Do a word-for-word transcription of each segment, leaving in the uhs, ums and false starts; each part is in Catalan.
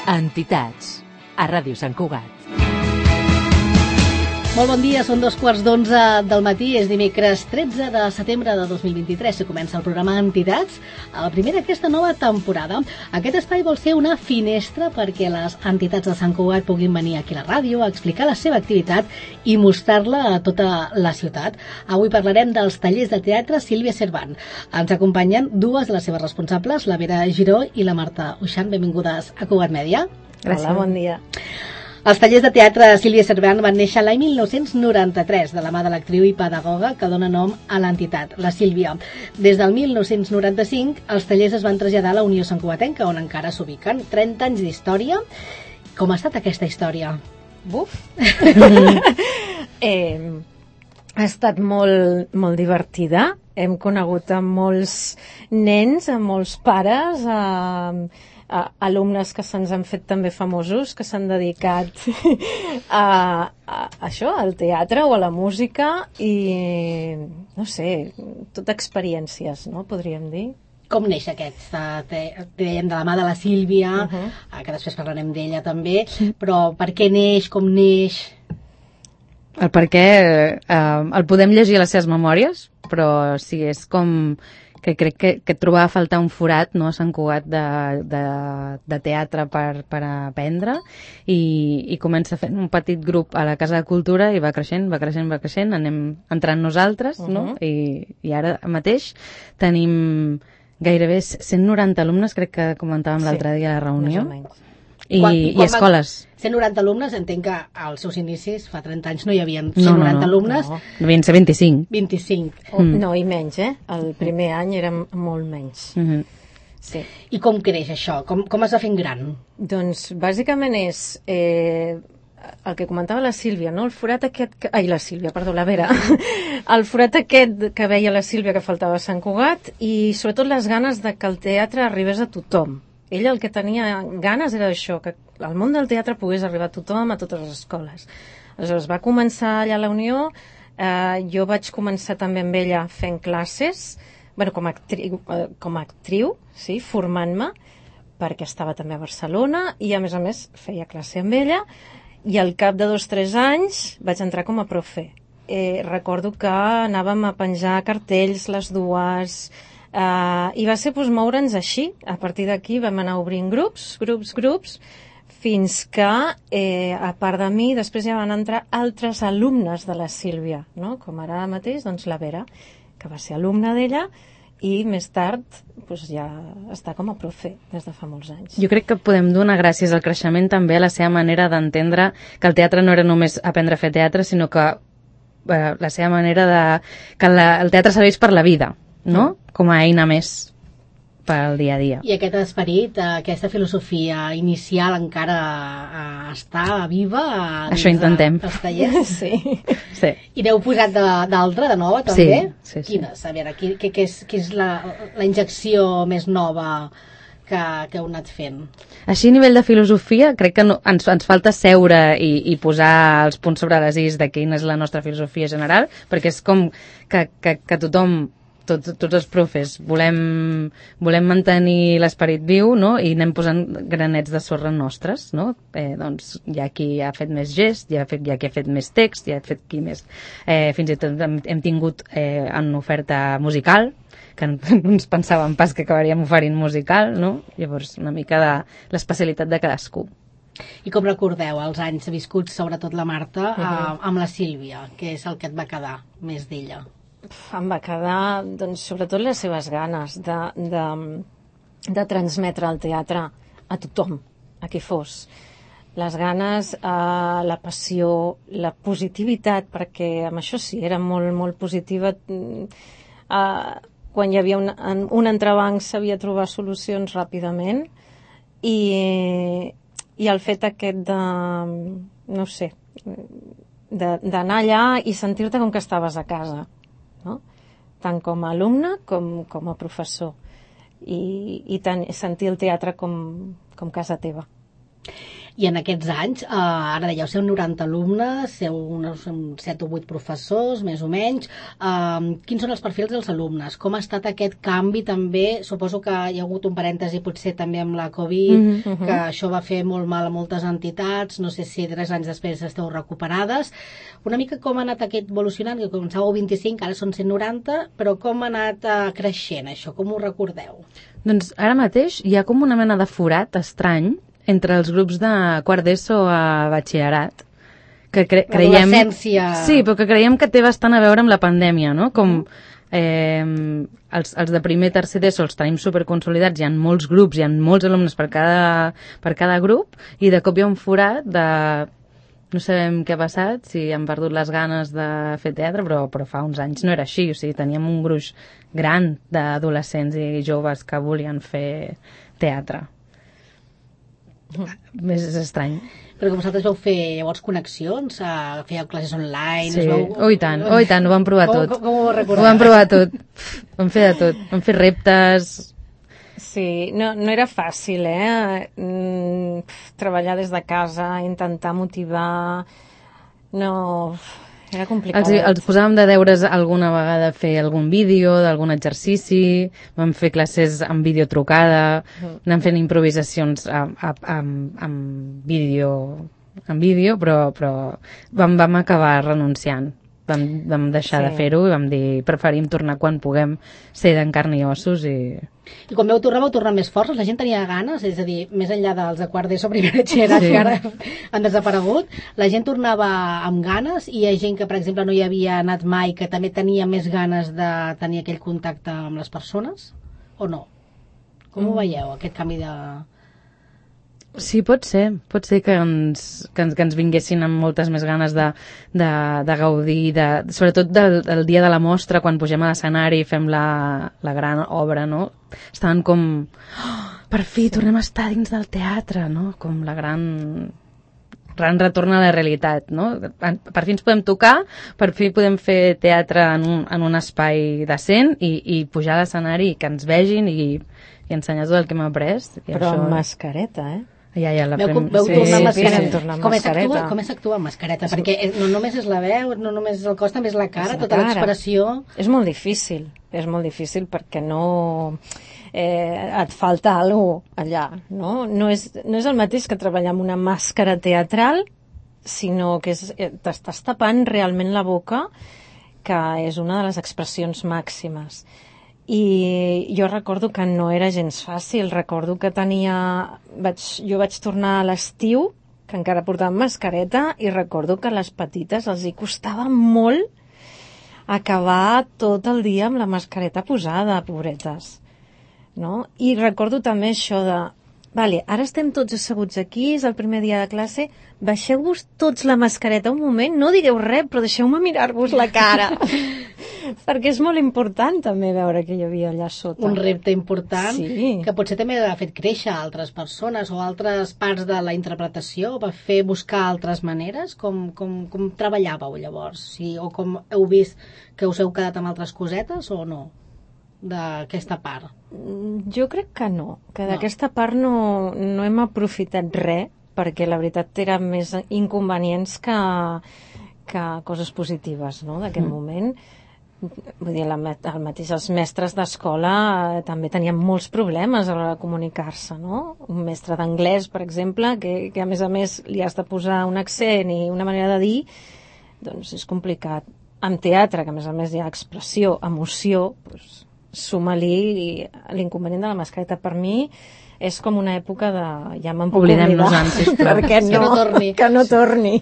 Entitats, a Ràdio Sant Cugat. Molt bon dia, són dos quarts d'onze del matí, és dimecres tretze de setembre de dos mil vint-i-tres, que comença el programa Entitats, a la primera d'aquesta nova temporada. Aquest espai vol ser una finestra perquè les entitats de Sant Cugat puguin venir aquí a la ràdio a explicar la seva activitat i mostrar-la a tota la ciutat. Avui parlarem dels tallers de teatre Sílvia Cervant. Ens acompanyen dues de les seves responsables, la Vera Giró i la Marta Uixant. Benvingudes a Cugat Mèdia. Gràcies. Hola, bon dia. Els tallers de teatre Sílvia Cervant van néixer l'any mil nou-cents noranta-tres de la mà de l'actriu i pedagoga que dona nom a l'entitat, la Sílvia. Des del mil nou-cents noranta-cinc, els tallers es van traslladar a la Unió Santcugatenca, on encara s'ubiquen. trenta anys d'història. Com ha estat aquesta història? Buf! eh, ha estat molt, molt divertida. Hem conegut a molts nens, a molts pares, a... a alumnes que se'ns han fet també famosos, que s'han dedicat a, a, a això, al teatre o a la música i, no sé, tot experiències, no?, podríem dir. Com neix aquest? Dèiem de la mà de la Sílvia, uh -huh. que després parlarem d'ella també, però per què neix, com neix? El per què eh, el podem llegir a les seves memòries, però sí, és com... que crec que, que trobava a faltar un forat, no, a Sant Cugat de, de, de teatre per, per aprendre i, i comença fent un petit grup a la Casa de Cultura i va creixent, va creixent, va creixent, anem entrant nosaltres, uh -huh. no? I, i ara mateix tenim gairebé cent noranta alumnes, crec que comentàvem sí, l'altre dia a la reunió. I, quan, i, quan i escoles. cent noranta alumnes, entenc que als seus inicis, fa trenta anys, no hi havia cent noranta no, no, alumnes. No, devien ser vint-i-cinc. vint-i-cinc. Oh, mm. No, i menys, eh? El primer any érem molt menys. Mm -hmm. Sí. I com creix això? Com, com es va fent gran? Doncs, bàsicament és... Eh, el que comentava la Sílvia, no? El forat aquest... Que... Ai, la Sílvia, perdó, la Vera. El forat aquest que veia la Sílvia que faltava a Sant Cugat i sobretot les ganes de que el teatre arribés a tothom. Ella el que tenia ganes era això, que el món del teatre pogués arribar a tothom, a totes les escoles. Aleshores, va començar allà a la Unió, eh, jo vaig començar també amb ella fent classes, bueno, com a actriu, eh, com a actriu sí, formant-me, perquè estava també a Barcelona, i a més a més feia classe amb ella, i al cap de dos o tres anys vaig entrar com a profe. Eh, recordo que anàvem a penjar cartells les dues... Uh, i va ser doncs, moure'ns així. A partir d'aquí vam anar obrint grups, grups, grups, fins que, eh, a part de mi, després ja van entrar altres alumnes de la Sílvia, no? Com ara mateix, doncs, la Vera, que va ser alumna d'ella, i més tard doncs, ja està com a profe des de fa molts anys. Jo crec que podem donar gràcies al creixement també a la seva manera d'entendre que el teatre no era només aprendre a fer teatre, sinó que eh, la seva manera de... que la, el teatre serveix per la vida, no? Com a eina més pel dia a dia. I aquest esperit, aquesta filosofia inicial encara està viva? Això intentem. Els tallers? Sí. Sí. I n'heu posat d'altra, de, de nova, també? Sí, sí, sí. Quines? A veure, què, què, és, què és la, la injecció més nova que, que heu anat fent? Així, a nivell de filosofia, crec que no, ens, ens falta seure i, i posar els punts sobre les is de quina és la nostra filosofia general, perquè és com que, que, que tothom Tots, tots els profes volem, volem mantenir l'esperit viu, no? I anem posant granets de sorra nostres, no? Eh, doncs hi ha qui ha fet més gest, hi ha, fet, hi ha qui ha fet més text, hi ha fet qui més... Eh, fins i tot hem, hem tingut eh, en oferta musical, que no ens pensàvem pas que acabaríem oferint musical, no? Llavors, una mica de l'especialitat de cadascú. I com recordeu els anys viscuts, sobretot la Marta, uh -huh. eh, amb la Sílvia? Què és el que et va quedar més d'ella? Em va quedar, doncs, sobretot les seves ganes de, de, de transmetre el teatre a tothom, a qui fos. Les ganes, eh, la passió, la positivitat, perquè amb això sí, era molt, molt positiva. Eh, quan hi havia un, un entrebanc sabia trobar solucions ràpidament i, i el fet aquest de, no sé, d'anar allà i sentir-te com que estaves a casa. No? Tant com a alumne com, com a professor i, i tant, sentir el teatre com, com casa teva. I en aquests anys, eh, ara dèieu, seu noranta alumnes, seu uns set o vuit professors, més o menys. Eh, quins són els perfils dels alumnes? Com ha estat aquest canvi també? Suposo que hi ha hagut un parèntesi potser també amb la Covid, mm-hmm. que això va fer molt mal a moltes entitats, no sé si tres anys després esteu recuperades. Una mica com ha anat aquest evolucionant, que començàveu vint-i-cinc, ara són cent noranta, però com ha anat eh, creixent això? Com ho recordeu? Doncs ara mateix hi ha com una mena de forat estrany entre els grups de quart d'ESO a batxillerat, que cre creiem... L'adolescència... Sí, però que creiem que té bastant a veure amb la pandèmia, no? Com eh, els, els de primer, tercer d'ESO els tenim superconsolidats, hi ha molts grups, hi ha molts alumnes per cada, per cada grup, i de cop hi ha un forat de... No sabem què ha passat, si han perdut les ganes de fer teatre, però, però fa uns anys no era així, o sigui, teníem un gruix gran d'adolescents i joves que volien fer teatre. Més estrany. Però que vosaltres vau fer llavors connexions, uh, fèieu classes online... Sí, veu... oh i tant, oh i tant, ho vam provar tot. Com, com, com ho recordeu? Ho vam provar tot, vam fer de tot, vam fer reptes... Sí, no, no era fàcil, eh? Mm, treballar des de casa, intentar motivar... No... Era complicat. Els, els posàvem de deures alguna vegada fer algun vídeo d'algun exercici, vam fer classes amb vídeo trucada, mm. anàvem fent improvisacions amb vídeo, amb vídeo, però, però vam, vam acabar renunciant. Vam, vam deixar sí. de fer-ho i vam dir preferim tornar quan puguem ser d'en carn i ossos i... I quan vau tornar, vau tornar més forts? La gent tenia ganes? És a dir, més enllà dels de quart d'ESO, primer batxillerat, sí. que ara han desaparegut, la gent tornava amb ganes i hi ha gent que, per exemple, no hi havia anat mai, que també tenia més ganes de tenir aquell contacte amb les persones? O no? Com mm. ho veieu, aquest canvi de... Sí, pot ser. Pot ser que ens, que ens, que ens vinguessin amb moltes més ganes de, de, de gaudir, de, sobretot del, del dia de la mostra, quan pugem a l'escenari i fem la, la gran obra, no? Estaven com... Oh, per fi, tornem a estar dins del teatre, no? Com la gran... gran retorn a la realitat, no? Per fi ens podem tocar, per fi podem fer teatre en un, en un espai decent i, i pujar a l'escenari i que ens vegin i, i ensenyar tot el que hem après. I Però això... amb mascareta, eh? Ja, ja, la veu, prem... veu sí, tornar sí, mascareta. sí, tornar com mascareta. Com s'actua amb mascareta? Perquè no només és la veu, no només és el cos, també és la cara, és la tota l'expressió... És molt difícil, és molt difícil perquè no... Eh, et falta alguna cosa allà, no? No és, no és el mateix que treballar amb una màscara teatral, sinó que és, t'estàs tapant realment la boca, que és una de les expressions màximes. I jo recordo que no era gens fàcil, recordo que tenia... Vaig, jo vaig tornar a l'estiu, que encara portàvem mascareta, i recordo que a les petites els hi costava molt acabar tot el dia amb la mascareta posada, pobretes. No? I recordo també això de... Vale, ara estem tots asseguts aquí, és el primer dia de classe, baixeu-vos tots la mascareta un moment, no digueu res, però deixeu-me mirar-vos la cara. Perquè és molt important també veure que hi havia allà sota. Un repte important, sí. que potser també ha fet créixer altres persones o altres parts de la interpretació, va fer buscar altres maneres. Com, com, com treballàveu llavors? Sí, o com heu vist que us heu quedat amb altres cosetes o no? D'aquesta part? Jo crec que no, que d'aquesta no. part no, no hem aprofitat res, perquè la veritat eren més inconvenients que, que coses positives, no?, d'aquest mm. moment. Vull dir, la, el mateix, els mestres d'escola eh, també tenien molts problemes a l'hora de comunicar-se, no? Un mestre d'anglès, per exemple, que, que a més a més li has de posar un accent i una manera de dir, doncs és complicat. Amb teatre, que a més a més hi ha expressió, emoció, doncs suma-li l'inconvenient de la mascareta. Per mi és com una època de... ja me'n puc oblidar, perquè no, que no torni. Que no torni.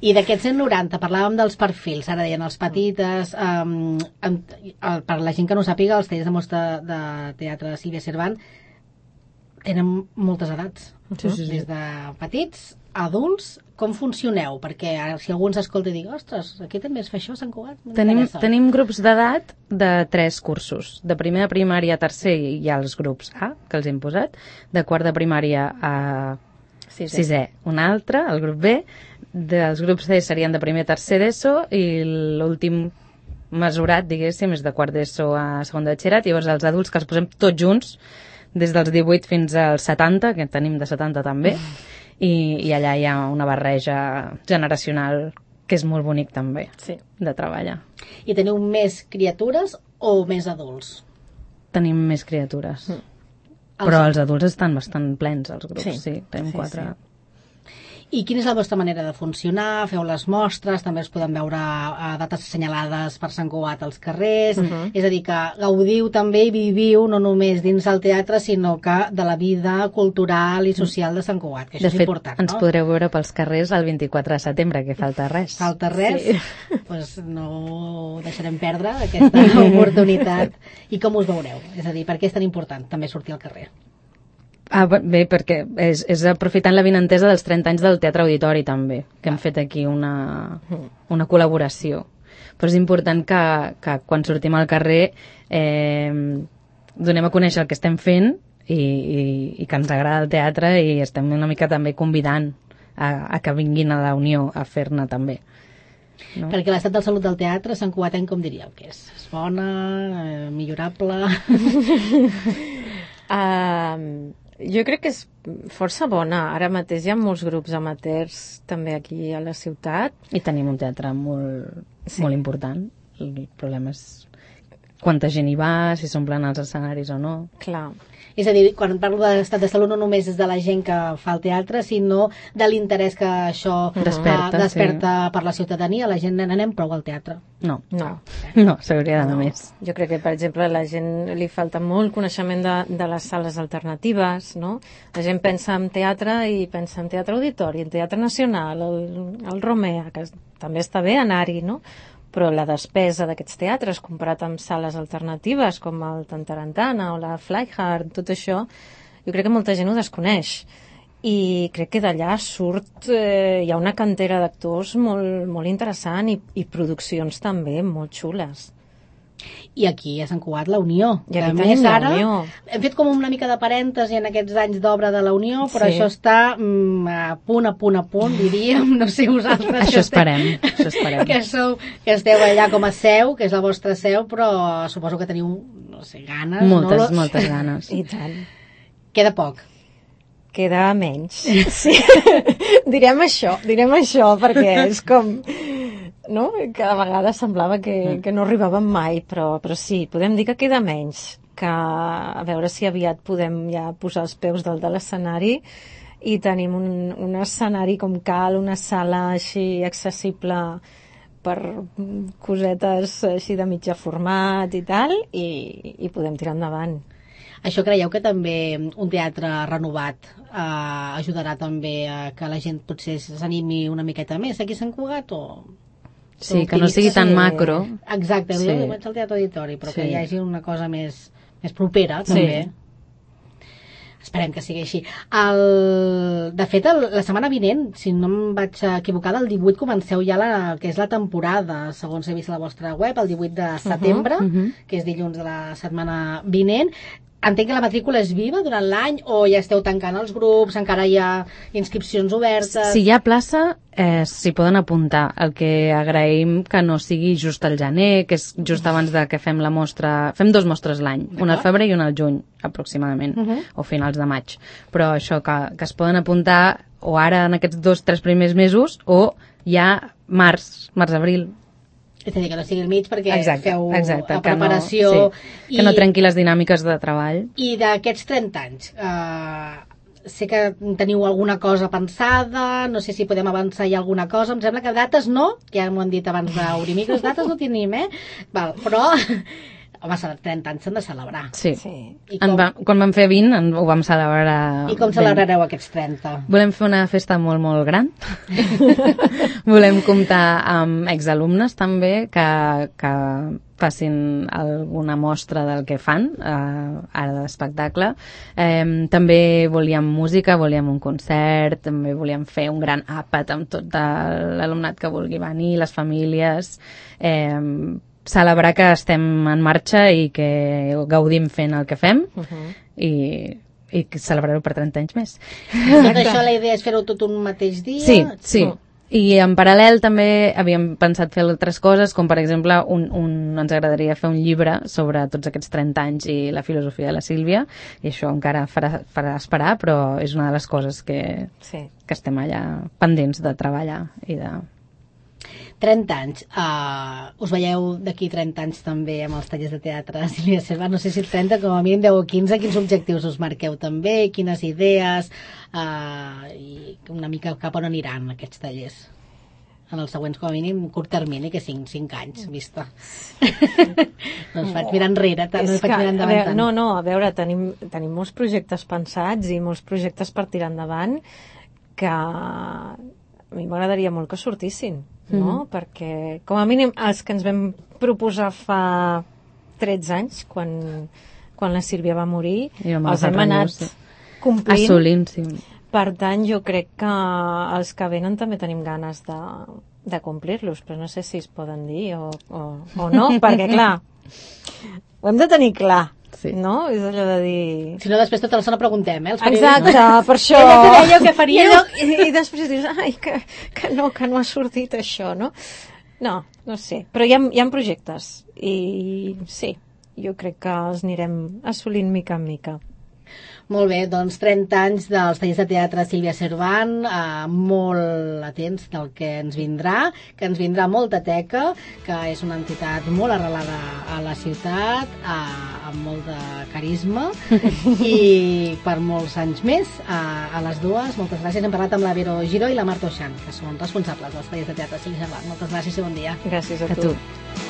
I d'aquests cent noranta, parlàvem dels perfils, ara deien els petites, um, um, per la gent que no sàpiga, els tallers de mostra de teatre de Sílvia Cervant tenen moltes edats, sí, sí, sí. Des de petits, adults. Com funcioneu? Perquè si algú ens escolta i digui, ostres, aquí també es fa això a Sant Cugat. Tenim, tenim grups d'edat de tres cursos. De primer de primària a tercer hi ha els grups A, que els hem posat. De quart de primària a sisè, sisè un altre, el grup B. Dels grups C serien de primer a tercer d'ESO i l'últim mesurat, diguéssim, és de quart d'ESO a segon de batxillerat. Llavors els adults que els posem tots junts, des dels divuit fins als setanta, que tenim de setanta també. Mm. i, i allà hi ha una barreja generacional que és molt bonic també, sí. de treballar. I teniu més criatures o més adults? Tenim més criatures. Mm. Però Els- els adults estan bastant plens, els grups, sí, Sí. tenim Sí, quatre. sí. I quina és la vostra manera de funcionar? Feu les mostres, també es poden veure a dates assenyalades per Sant Cugat als carrers, Mhm. és a dir, que gaudiu també i viviu no només dins del teatre, sinó que de la vida cultural i social de Sant Cugat, que això De és fet, important, ens no? podreu veure pels carrers el vint-i-quatre de setembre, que falta res. Falta res, Sí. doncs no deixarem perdre aquesta oportunitat. I com us veureu? És a dir, per què és tan important també sortir al carrer? Ah, bé, perquè és, és aprofitant la vinentesa dels trenta anys del Teatre Auditori també, que hem fet aquí una, una col·laboració. Però és important que, que quan sortim al carrer eh, donem a conèixer el que estem fent i, i, i que ens agrada el teatre i estem una mica també convidant a, a que vinguin a la Unió a fer-ne també. No? Perquè l'estat de salut del teatre, Sant Cugatenc, com diríeu que és? És bona, eh, millorable... Uh, jo crec que és força bona. Ara mateix hi ha molts grups amateurs també aquí a la ciutat. I tenim un teatre molt, Sí. molt important. El problema és quanta gent hi va, si s'omplen els escenaris o no. Clar. És a dir, quan parlo de l'estat de salut no només és de la gent que fa el teatre, sinó de l'interès que això Desperta, eh, desperta per la ciutadania. La gent n'anem prou al teatre. No, No. no, s'hauria d'anar No. més. Jo crec que, per exemple, a la gent li falta molt coneixement de, de les sales alternatives, no? La gent pensa en teatre i pensa en teatre auditori, en teatre nacional, el, el Romea, que també està bé anar-hi, no? Però la despesa d'aquests teatres comparat amb sales alternatives com el Tantarantana o la Flyhard, tot això, jo crec que molta gent ho desconeix. I crec que d'allà surt, eh, hi ha una cantera d'actors molt, molt interessant i, i produccions també molt xules. I aquí a Sant Cugat la Unió. I aquí A tenim més, la ara Unió. hem fet com una mica de parèntesi en aquests anys d'obra de la Unió, però Sí. això està mm, a punt, a punt, a punt, diríem. No sé vosaltres. Això que esteu- esperem, això esperem. que, sou, que esteu allà com a seu, que és la vostra seu, però suposo que teniu, no sé, ganes. Moltes, no? moltes ganes. I tant. Queda poc. Queda menys. Sí. direm això, direm això, perquè és com... No? Cada vegada semblava que, que no arribàvem mai, però, però sí, podem dir que queda menys, que a veure si aviat podem ja posar els peus dalt de l'escenari i tenim un, un escenari com cal, una sala així accessible per cosetes així de mitjà format i tal, i, i podem tirar endavant. Això creieu que també un teatre renovat eh, ajudarà també a que la gent potser s'animi una miqueta més aquí a Sant Cugat o... Sí, que no sigui tan Sí. macro. Exacte, Sí. sí. Jo vaig al teatre auditori, però Sí. que hi hagi una cosa més, més propera, Sí. també. Esperem que sigui així. El... De fet, el, la setmana vinent, si no em vaig equivocar, del divuit comenceu ja la, que és la temporada, segons he vist a la vostra web, el divuit de setembre, uh -huh. que és dilluns de la setmana vinent. Entenc que la matrícula és viva durant l'any o ja esteu tancant els grups, encara hi ha inscripcions obertes? Si hi ha plaça, eh, s'hi poden apuntar. El que agraïm que no sigui just al gener, que és just abans de que fem la mostra... Fem dos mostres l'any, una al febrer i una al juny, aproximadament, Uh -huh. o finals de maig. Però això, que, que es poden apuntar o ara en aquests dos, tres primers mesos, o ja març, març-abril. És a dir, que no sigui al mig perquè Exacte, feu exacte, la que no- preparació... sí, que no trenqui les dinàmiques de treball. I d'aquests trenta anys, eh, sé que teniu alguna cosa pensada, no sé si podem avançar ja alguna cosa, em sembla que dates no, ja m'ho han dit abans d'obrir micros, dates no tenim, eh? Val, però, home, trenta anys s'han de celebrar. Sí. Sí. I En com, va, quan vam fer vint en, ho vam celebrar... i com ben. celebrareu aquests trenta? Volem fer una festa molt, molt gran. Volem comptar amb exalumnes també que, que facin alguna mostra del que fan eh, ara d'espectacle. Eh, també volíem música, volíem un concert, també volíem fer un gran àpat amb tot l'alumnat que vulgui venir, les famílies... Eh, celebrar que estem en marxa i que gaudim fent el que fem Uh -huh. i, i celebrar-ho per trenta anys més. Tot això, la idea és fer-ho tot un mateix dia? Sí, sí. Mm. I en paral·lel també havíem pensat fer altres coses, com per exemple un, un, ens agradaria fer un llibre sobre tots aquests trenta anys i la filosofia de la Sílvia, i això encara farà, farà esperar, però és una de les coses que, sí. que estem allà pendents de treballar i de... trenta anys. Uh, us veieu d'aquí trenta anys també amb els tallers de teatre, Sílvia Servan? No sé si trenta, com a mínim deu o quinze. Quins objectius us marqueu també? Quines idees? Uh, I una mica cap on aniran aquests tallers? En els següents, com a mínim, curt termini, que cinc, cinc anys, vista. No us faig mirar enrere, tant, no us faig mirar endavant tant. No, no, a veure, tenim, tenim molts projectes pensats i molts projectes per tirar endavant que a mi m'agradaria molt que sortissin, no? Mm-hmm. Perquè, com a mínim, els que ens vam proposar fa tretze anys, quan, quan la Sílvia va morir, els hem anat complint. Assolint, sí. Per tant, jo crec que els que venen també tenim ganes de, de complir-los, però no sé si es poden dir o, o, o no, perquè, clar, ho hem de tenir clar. Sí. No? És allò de dir... Si no, després tota l'estona preguntem, eh? Els Exacte, no? Per això... I allò que dèieu, què faríeu? I, i, I després dius, ai, que, que no, que no ha sortit això, no? No, no sé. Però hi ha, hi ha projectes. I sí, jo crec que els anirem assolint mica en mica. Molt bé, doncs trenta anys dels tallers de teatre Sílvia Servan, eh, molt atents del que ens vindrà, que ens vindrà molta teca, que és una entitat molt arrelada a la ciutat, eh, amb molt de carisma, i per molts anys més, eh, a les dues. Moltes gràcies. Hem parlat amb la Vero Giró i la Marta Oixant, que són responsables dels tallers de teatre Sílvia Servan. Moltes gràcies i bon dia. Gràcies a, a tu. tu.